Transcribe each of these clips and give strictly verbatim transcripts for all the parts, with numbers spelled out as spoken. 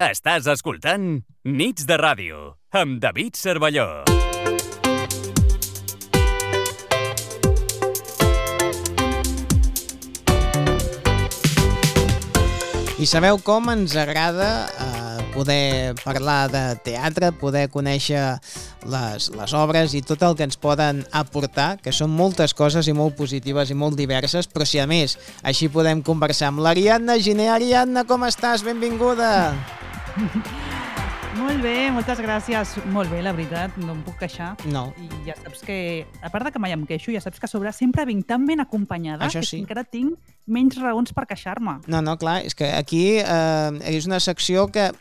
Estàs escoltant Nits de Ràdio, amb David Cervelló. I sabeu com ens agrada eh, poder parlar de teatre, poder conèixer les, les obres i tot el que ens poden aportar, que són moltes coses i molt positives i molt diverses, però si a més així podem conversar amb l'Ariadna Giner. Ariadna, com estàs? Benvinguda! Molt bé, moltes gràcies. Molt bé, la veritat, no em puc queixar. No. I ja saps que, a part de que mai em queixo, ja saps que a sobre sempre vinc tan ben acompanyada Això que sí. encara tinc menys raons per queixar-me. No, no, clar, és que aquí eh, és una secció que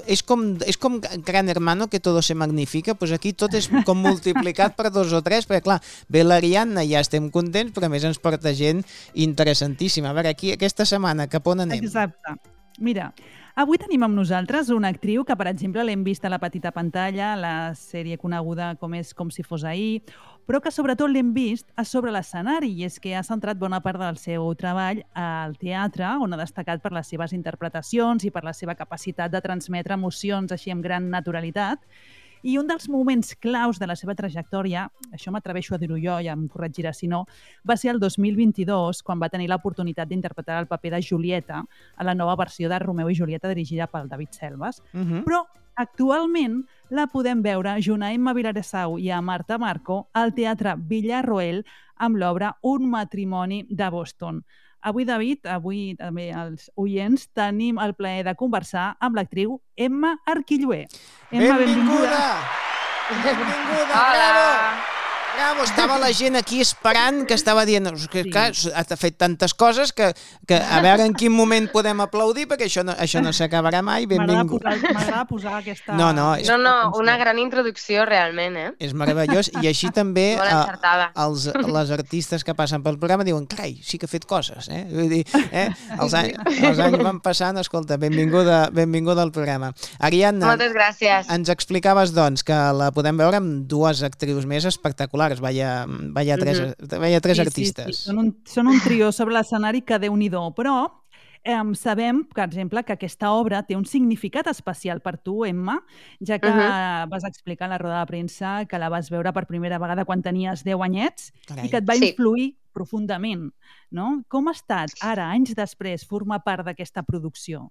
és com, és com Gran Hermano, que todo se magnifica, doncs aquí tot és com multiplicat per dos o tres, perquè clar, ve l'Ariadna, ja estem contents, però a més ens porta gent interessantíssima. A veure, aquí aquesta setmana, cap on anem? Exacte. Mira, avui tenim amb nosaltres una actriu que, per exemple, l'hem vist a la petita pantalla, la sèrie coneguda com és Com si fos ahir, però que sobretot l'hem vist a sobre l'escenari, i és que ha centrat bona part del seu treball al teatre, on ha destacat per les seves interpretacions i per la seva capacitat de transmetre emocions així amb gran naturalitat. I un dels moments claus de la seva trajectòria, això m'atreveixo a dir-ho jo, ja em corregirà si no, va ser el dos mil vint-i-dos, quan va tenir l'oportunitat d'interpretar el paper de Julieta a la nova versió de Romeo i Julieta dirigida pel David Selves. Uh-huh. Però actualment la podem veure junt a Emma Vilaresau i a Marta Marco al Teatre Villarroel amb l'obra Un matrimoni de Boston. Avui, David, avui també els oients, tenim el plaer de conversar amb l'actriu Emma Arquilloé. Emma, benvinguda! Benvinguda, bravo! Bravo, estava la gent aquí esperant, que estava dient que, que ha fet tantes coses que, que a veure en quin moment podem aplaudir, perquè això no, això no s'acabarà mai. Benvinguda. M'agrada posar aquesta... No, no, és... no, no, una gran introducció realment, eh? És meravellós, i així també Molt encertada. els, les artistes que passen pel programa diuen, carai, sí que ha fet coses, eh? Vull dir, eh? Els, anys, els anys van passant, escolta, benvinguda, benvinguda al programa. Ariadna, moltes gràcies. Ens explicaves, doncs, que la podem veure amb dues actrius més espectaculars. Vaya, vaya tres, mm-hmm. vaya tres sí, artistes. Sí, sí. Són, un, són un trio sobre l'escenari que Déu-n'hi-do, però eh, sabem, per exemple, que aquesta obra té un significat especial per tu, Emma, ja que uh-huh. vas explicar a la roda de premsa que la vas veure per primera vegada quan tenies deu anyets. Carai. I que et va influir sí. profundament. No? Com ha estat ara, anys després, formar part d'aquesta producció?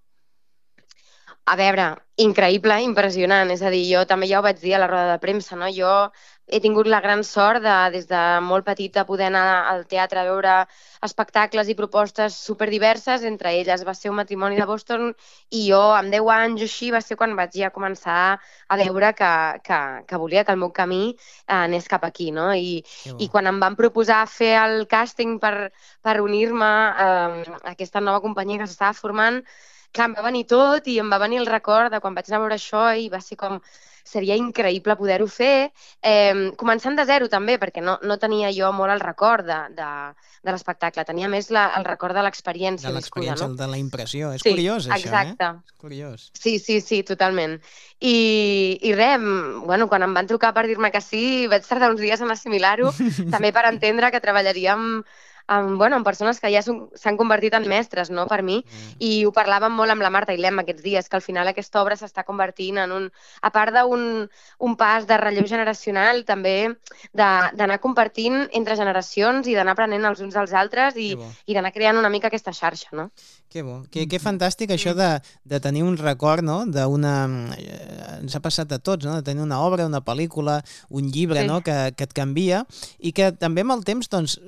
A veure, increïble, impressionant. És a dir, jo també ja ho vaig dir a la roda de premsa, no? Jo he tingut la gran sort de, des de molt petita, poder anar al teatre a veure espectacles i propostes superdiverses. Entre elles va ser Un matrimoni de Boston, i jo, amb deu anys o així, va ser quan vaig ja començar a veure que, que, que volia que el meu camí eh, anés cap aquí, no? I, i quan em van proposar fer el càsting per, per unir-me eh, a aquesta nova companyia que s'estava formant, clar, em va venir tot i em va venir el record de quan vaig anar a veure això i va ser com... Seria increïble poder-ho fer, eh, començant de zero també, perquè no, no tenia jo molt el record de, de, de l'espectacle, tenia més la, el record de l'experiència. De l'experiència, no? De la impressió. És sí, curiós, això, exacte. eh? És curiós. Sí, sí, sí, totalment. I, i res, bueno, quan em van trucar per dir-me que sí, vaig tardar uns dies en assimilar-ho, també per entendre que treballaríem amb, bueno, amb persones que ja s'han convertit en mestres, no?, per mi, mm. i ho parlàvem molt amb la Marta i l'Emma aquests dies, que al final aquesta obra s'està convertint en un, a part d'un un pas de relleu generacional, també d'anar compartint entre generacions i d'anar aprenent els uns dels altres i, i d'anar creant una mica aquesta xarxa, no? Que bo, que, que fantàstic això de, de tenir un record, no?, d'una... Eh, ens ha passat a tots, no?, de tenir una obra, una pel·lícula, un llibre, sí. no?, que, que et canvia i que també amb el temps, doncs,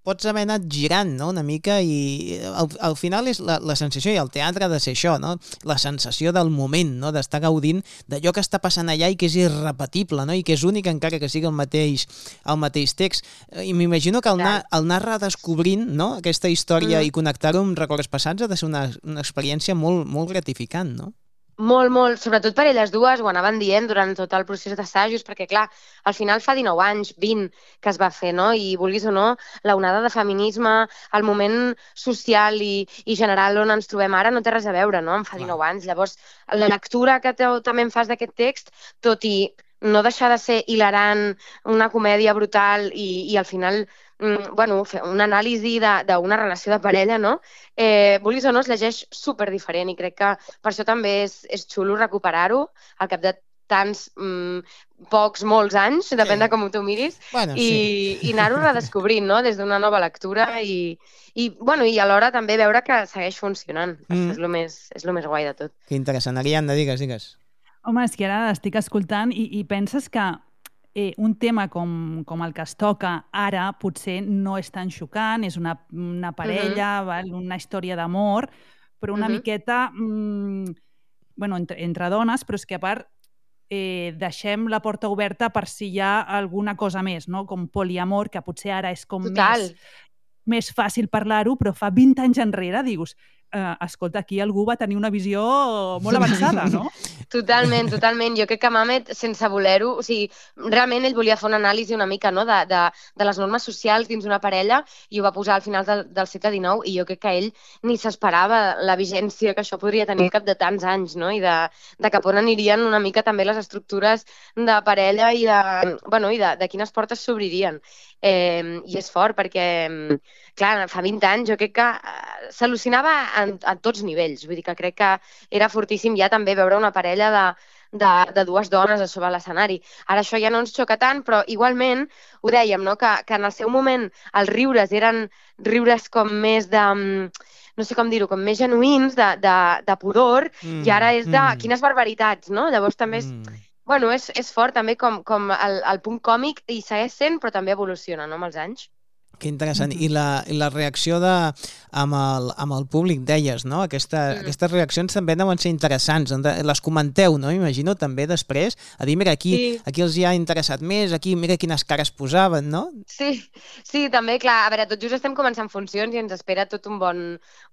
pots haver anat girant, no?, una mica, i al, al final és la, la sensació, i el teatre ha de ser això, no?, la sensació del moment, no?, d'estar gaudint d'allò que està passant allà i que és irrepetible, no?, i que és únic encara que sigui el mateix, el mateix text. I m'imagino que el anar, el anar redescobrint, no?, aquesta història mm. i connectar-ho amb records passats ha de ser una, una experiència molt, molt gratificant, no? Molt, molt, sobretot per elles dues, ho anaven dient durant tot el procés d'assajos, perquè clar, al final fa dinou anys, vint, que es va fer, no? I vulguis o no, l'onada de feminisme, el moment social i, i general on ens trobem ara no té res a veure, no?, en fa dinou anys. Llavors, la lectura que també en fas d'aquest text, tot i no deixar de ser hilarant, una comèdia brutal i, i al final mm, bueno, fer una anàlisi de- d'una relació de parella, no? Eh, vulguis o no, es llegeix super diferent i crec que per això també és, és xulo recuperar-ho al cap de tants, mm, pocs, molts anys, depèn Sí. de com tu miris, Bueno, i, sí. i anar-ho redescobrint, no?, des d'una nova lectura i, i, bueno, i alhora també veure que segueix funcionant. Mm. Això és el més, és el més guai de tot. Que interessant. Ariadna, digues, digues. Home, és que ara estic escoltant i, i penses que eh, un tema com, com el que es toca ara potser no és tan xocant, és una, una parella, uh-huh. val? Una història d'amor, però una Uh-huh. miqueta mm, bueno, entre, entre dones, però és que a part eh, deixem la porta oberta per si hi ha alguna cosa més, no? Com poliamor, que potser ara és com Total. més, més fàcil parlar-ho, però fa vint anys enrere dius, eh, escolta, aquí algú va tenir una visió molt avançada, no? Totalment, totalment. Jo crec que Mamet, sense voler-ho, o sigui, realment ell volia fer una anàlisi una mica, no?, de, de, de les normes socials dins una parella i ho va posar al final del, del segle dinou i jo crec que ell ni s'esperava la vigència que això podria tenir al cap de tants anys, no?, i de, de cap on anirien una mica també les estructures de parella i de, bueno, i de, de quines portes s'obririen. Eh, I és fort perquè, clar, fa vint anys jo crec que eh, s'al·lucinava en, a tots nivells. Vull dir que crec que era fortíssim ja també veure una parella de, de, de dues dones a sobre l'escenari. Ara això ja no ens xoca tant, però igualment ho dèiem, no?, que, que en el seu moment els riures eren riures com més de, no sé com dir-ho, com més genuïns, de, de, de pudor, Mm, i ara és de mm. quines barbaritats, no? Llavors també és, Mm. bueno, és, és fort també com, com el, el punt còmic i segueix sent, però també evoluciona, no?, amb els anys. Que interessant. I la, i la reacció de, amb, el, amb el públic, deies, no? Aquesta, Mm. Aquestes reaccions també deuen ser interessants. Les comenteu, no? Imagino també després a dir, mira, aquí, Sí. aquí els hi ha interessat més, aquí mira quines cares posaven, no? Sí, sí, també, clar, a veure, tot just estem començant funcions i ens espera tot un bon,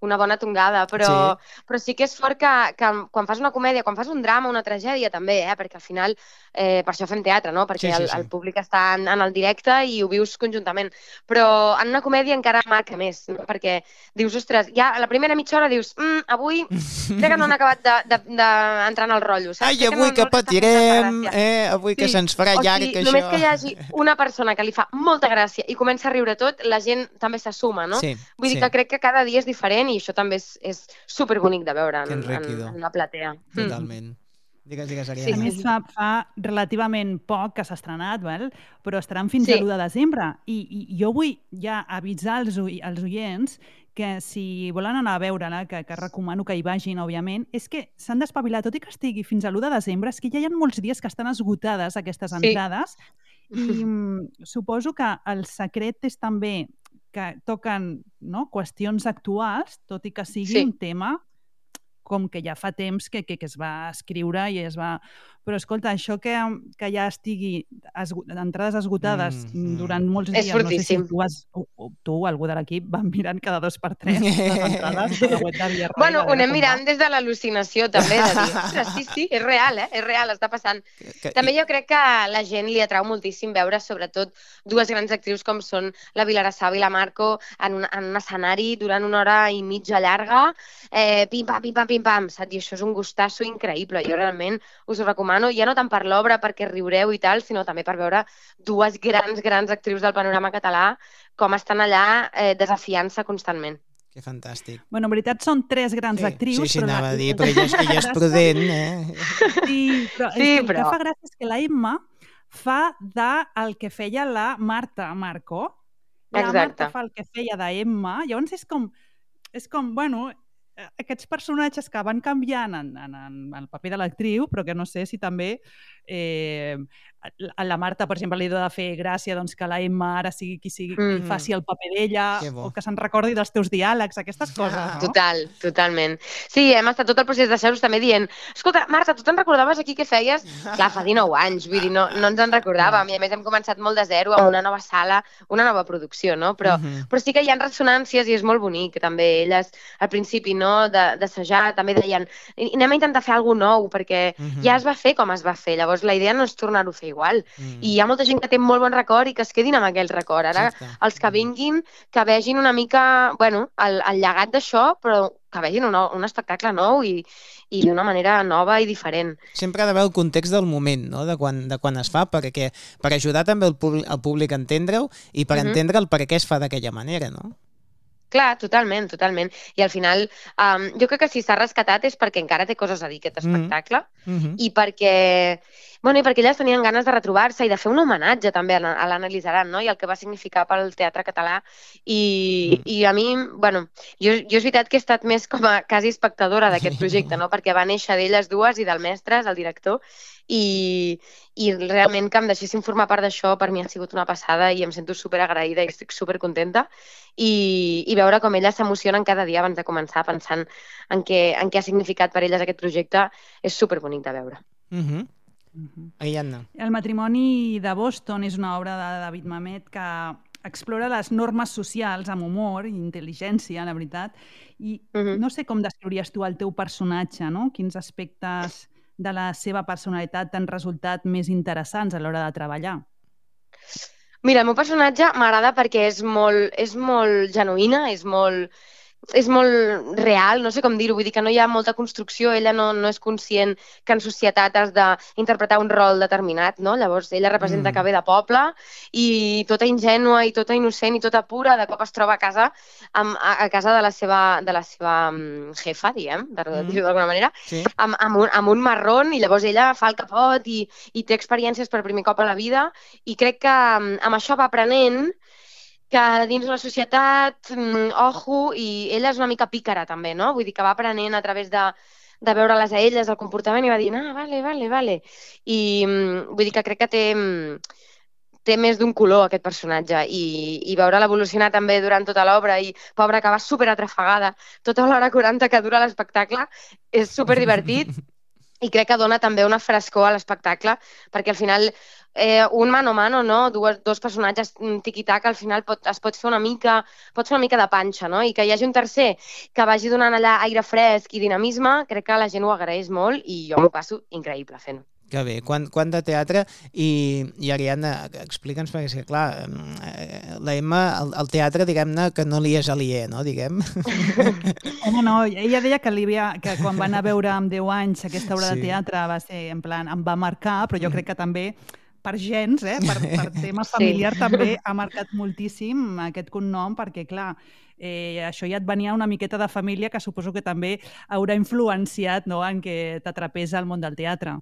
una bona tongada, però sí, però sí que és fort que, que quan fas una comèdia, quan fas un drama, una tragèdia també, eh? Perquè al final, eh, per això fem teatre, no? Perquè Sí, sí, el, sí. el públic està en, en el directe i ho vius conjuntament, però en una comèdia encara marca més, no? Perquè dius, ostres, ja a la primera mitja hora dius, mm, avui crec que no han acabat d'entrar de, de, de en el rotllo, saps? Ai, Crec avui no, que no els està fent patirem, tanta gràcia. eh? Avui que Sí. se'ns farà O llarg, sigui, això. només que hi hagi una persona que li fa molta gràcia i comença a riure tot, la gent també s'assuma, no? Sí, Vull dir sí. que crec que cada dia és diferent i això també és, és superbonic de veure Que en, en, enriquidor. en una platea. Mm. Totalment. Digues, digues, A Ariadna. més, fa, fa relativament poc que s'ha estrenat, val? Però estaran fins Sí. a l'u de desembre. I, I jo vull ja avisar els, oi- els oients que si volen anar a veure-la, que, que recomano que hi vagin, òbviament, és que s'han d'espavilar, tot i que estigui fins a l'u de desembre, és que ja hi ha molts dies que estan esgotades aquestes Sí. entrades i mm, suposo que el secret és també que toquen, no?, qüestions actuals, tot i que sigui Sí. un tema com que ja fa temps que, que, que es va escriure i es va... Però escolta, això que, que ja estigui esgo... entrades esgotades Mm, mm. durant molts És dies, no sé si fortíssim. tu, has, o, o tu o algú de l'equip van mirant cada dos per tres les entrades de la web de Via Ràdio, Bueno, a ho veure anem com mirant va. des de l'al·lucinació, també, de dir, ostres, sí, sí, és real, eh? És real, està passant. Que- que- També jo crec que la gent li atrau moltíssim veure, sobretot, dues grans actrius com són la Vilar Assau i la Marco en un, en un escenari durant una hora i mitja llarga, eh, pim-pam, pim-pam, pim-pam, saps? I això és un gustasso increïble. Jo realment us ho recomano, ja no tant per l'obra, perquè riureu i tal, sinó també per veure dues grans, grans actrius del panorama català com estan allà eh, desafiant-se constantment. Que fantàstic. Bueno, en veritat són tres grans Sí, actrius, sí, sí, però, anava la, a dir, però ella és, ella és prudent, eh? Sí, però, Sí, és que el però- que fa gràcia és que la Emma fa de el que feia la Marta Marco. La Exacte. Marta fa el que feia d'Emma. Llavors és com, és com, bueno, eh, aquests personatges que van canviant en, en, en el paper de l'actriu, però que no sé si també eh, a la Marta, per exemple, li ha de fer gràcia doncs, que la Emma ara sigui qui, sigui, qui Mhm. faci el paper d'ella, Que bo. o que se'n recordi dels teus diàlegs, aquestes coses, no? Total, totalment. Sí, hem estat tot el procés de ser-nos també dient escolta, Marta, tu te'n recordaves aquí què feies? Clar, fa dinou anys, vull dir, no, no ens en recordàvem i a més hem començat molt de zero amb una nova sala, una nova producció, no? Però, Mhm. però sí que hi ha ressonàncies i és molt bonic també. Elles al principi no no? d'assajar, també deien, anem a intentar fer alguna nou, perquè uh-huh. ja es va fer com es va fer, llavors la idea no és tornar-ho a fer igual. Uh-huh. I hi ha molta gent que té molt bon record i que es quedin amb aquell record. Ara, exacte. Els que vinguin, que vegin una mica, bueno, el, el llegat d'això, però que vegin un, un espectacle nou i, i d'una manera nova i diferent. Sempre ha d'haver el context del moment, no? de, quan, de quan es fa, perquè, per ajudar també el, públic, el públic a entendre-ho i per uh-huh. entendre el per què es fa d'aquella manera, no? Clar, totalment, totalment. I al final, um, jo crec que si s'ha rescatat és perquè encara té coses a dir aquest espectacle mm-hmm. i perquè... Bueno, i perquè elles tenien ganes de retrobar-se i de fer un homenatge també a l'Anna Lizaran, no? I el que va significar pel teatre català. I, mm. i a mi, bueno, jo, jo és veritat que he estat més com a quasi espectadora d'aquest projecte, no? Perquè va néixer d'elles dues i del Mestres, el director, i, i realment que em deixessin formar part d'això per mi ha sigut una passada i em sento superagraïda i estic supercontenta. I, i veure com elles s'emocionen cada dia abans de començar pensant en què, en què ha significat per elles aquest projecte és superbonic de veure. Mhm. Uh-huh. Ariadna. El matrimoni de Boston és una obra de David Mamet que explora les normes socials amb humor i intel·ligència, la veritat, i uh-huh. no sé com descriuries tu el teu personatge, no? Quins aspectes de la seva personalitat t'han resultat més interessants a l'hora de treballar? Mira, el meu personatge m'agrada perquè és molt, és molt genuïna, és molt... és molt real, no sé com dir-ho, vull dir que no hi ha molta construcció, ella no, no és conscient que en societat has d'interpretar un rol determinat, no? Llavors ella representa mm. que ve de poble i tota ingènua i tota innocent i tota pura, de cop es troba a casa, amb, a, a casa de la seva, de la seva um, jefa, diguem, de mm. dir-ho d'alguna manera, sí. amb, amb, un, amb un marrón, i llavors ella fa el que pot i, i té experiències per primer cop a la vida, i crec que um, amb això va aprenent que dins la societat, ojo, i ella és una mica pícara també, no? Vull dir que va aprenent a través de, de veure-les a elles, el comportament, i va dir, ah, vale, vale, vale. I vull dir que crec que té, té més d'un color aquest personatge i, i veure-la evolucionar també durant tota l'obra i pobra que va superatrafegada tota l'hora quaranta que dura l'espectacle és superdivertit i crec que dona també una frescor a l'espectacle perquè al final Eh, un mano a mano, no? Dues, dos personatges tiqui-tac, al final pot, es pot fer una mica, pot fer una mica de panxa, no? I que hi hagi un tercer que vagi donant allà aire fresc i dinamisme, crec que la gent ho agraeix molt i jo m'ho passo increïble fent-ho. Que bé, quant, quant de teatre i, i Ariadna, explica'ns, perquè és que clar, la Emma, el, el teatre, diguem-ne, que no li és aliè, no, diguem? Home, no, ella deia que, havia, que quan va anar a veure amb deu anys aquesta obra sí. de teatre va ser, en plan, em va marcar, però jo crec que també per gens, eh? per, per tema familiar sí. també ha marcat moltíssim aquest cognom perquè, clar, eh, això ja et venia una miqueta de família que suposo que també haurà influenciat, no?, en què t'atrapés al món del teatre.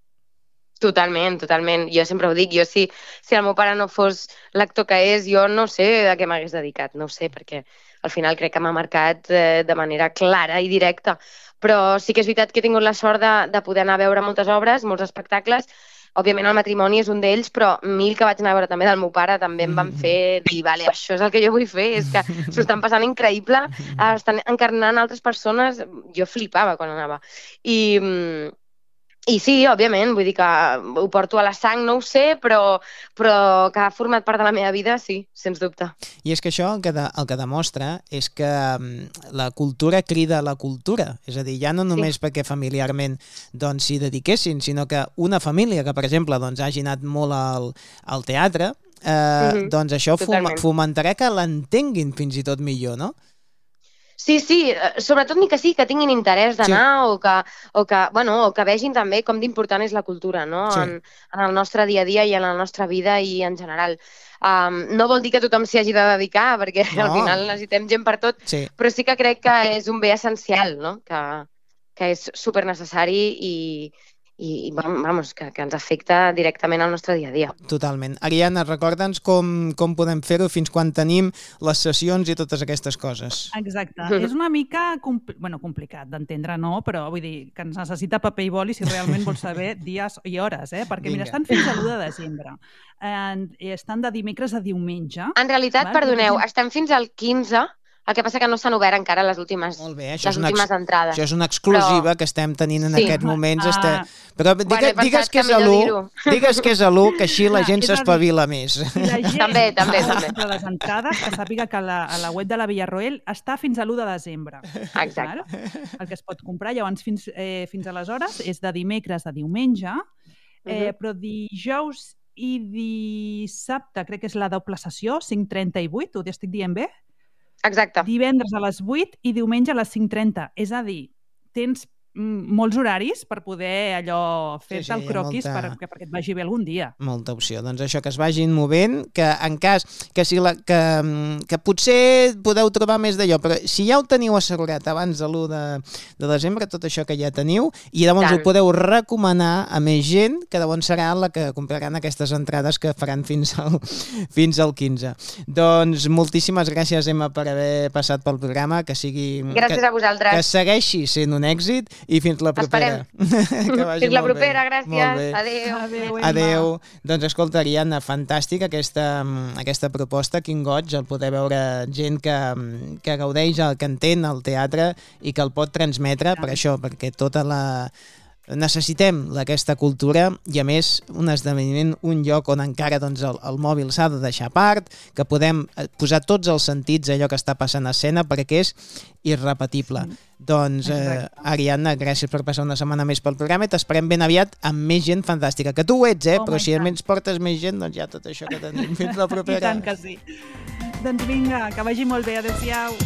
Totalment, totalment. Jo sempre ho dic, jo si, si el meu pare no fos l'actor que és, jo no sé a què m'hagués dedicat, no ho sé, perquè al final crec que m'ha marcat eh, de manera clara i directa. Però sí que és veritat que he tingut la sort de, de poder anar a veure moltes obres, molts espectacles. Òbviament el matrimoni és un d'ells, però mil que vaig anar a veure també del meu pare també em van fer dir, vale, això és el que jo vull fer, és que s'ho estan passant increïble, estan encarnant altres persones, jo flipava quan anava. I, i sí, òbviament, vull dir que ho porto a la sang, no ho sé, però, però que ha format part de la meva vida, sí, sens dubte. I és que això el que, de, el que demostra és que la cultura crida a la cultura, és a dir, ja no només sí. perquè familiarment doncs, s'hi dediquessin, sinó que una família que, per exemple, doncs, hagi anat molt al, al teatre, eh, mm-hmm. doncs això fom- fomentarà que l'entenguin fins i tot millor, no? Sí, sí, sobretot ni que sí, que tinguin interès d'anar sí. o, que, o, que, bueno, o que vegin també com d'important és la cultura, no? Sí. En, en el nostre dia a dia i en la nostra vida i en general. Um, no vol dir que tothom s'hi hagi de dedicar, perquè no. al final necessitem gent per tot, sí. però sí que crec que és un bé essencial, no? que, que és supernecessari i, i vamos, que, que ens afecta directament al nostre dia a dia. Totalment. Ariadna, recorda'ns com, com podem fer-ho, fins quan tenim les sessions i totes aquestes coses. Exacte. Mm. És una mica compl bueno, complicat d'entendre, no? Però vull dir que ens necessita paper i boli si realment vols saber dies i hores, eh? Perquè Vinga. Mira, estan fins a l'u de desembre. I estan de dimecres a diumenge. En realitat, val? Perdoneu, estem fins al quinze. El que passa que no s'han obert encara les últimes, Molt bé, les últimes entrades. Això és una exclusiva però... que estem tenint en sí. aquests moments. Ah. Este... Però digue, Bueno, he pensat digues que que és a millor l'u, dir-ho. digues que és a l'u, que així la Clar, gent és a dir, s'espavila més. La gent També, també, que també. compra les entrades, que sàpiga que la, a la web de la Villarroel està fins a l'u de desembre. Exacte. Val? El que es pot comprar llavors fins, eh, fins aleshores és de dimecres a diumenge, eh, Mhm. però dijous i dissabte crec que és la doble sessió, cinc trenta i vuit, ho estic dient bé? Exacte. Divendres a les vuit i diumenge a les cinc trenta. És a dir, tens mm, molts horaris per poder allò fer-te Sí, sí, el hi ha croquis molta- per, perquè et vagi bé algun dia. Molta opció. Doncs això, que es vagin movent, que en cas que, si la, que, que potser podeu trobar més d'allò, però si ja ho teniu assegurat abans de l'u de, de desembre, tot això que ja teniu, i llavors Tant. ho podeu recomanar a més gent, que llavors serà la que compraran aquestes entrades que faran fins al, fins al quinze. Doncs moltíssimes gràcies, Emma, per haver passat pel programa, que sigui... Gràcies que, a vosaltres. que segueixi sent un èxit i fins la propera. Que vagi Fins la molt bé. propera, Molt gràcies. bé. Adéu. Adéu, Emma. Adéu. Doncs escolta, Ariadna, fantàstica aquesta, aquesta proposta, quin goig el poder veure gent que, que gaudeix, el que entén el teatre i que el pot transmetre per això, perquè tota la... necessitem aquesta cultura i a més un esdeveniment, un lloc on encara doncs, el, el mòbil s'ha de deixar a part, que podem posar tots els sentits a allò que està passant a escena perquè és irrepetible. Sí. Doncs, eh, Ariadna, gràcies per passar una setmana més pel programa i t'esperem ben aviat amb més gent fantàstica, que tu ho ets, eh? Oh, Però si a tant. més portes més gent, doncs ja tot això que tenim. Fins la propera. I tant que sí. Doncs vinga, que vagi molt bé. Adéu-siau.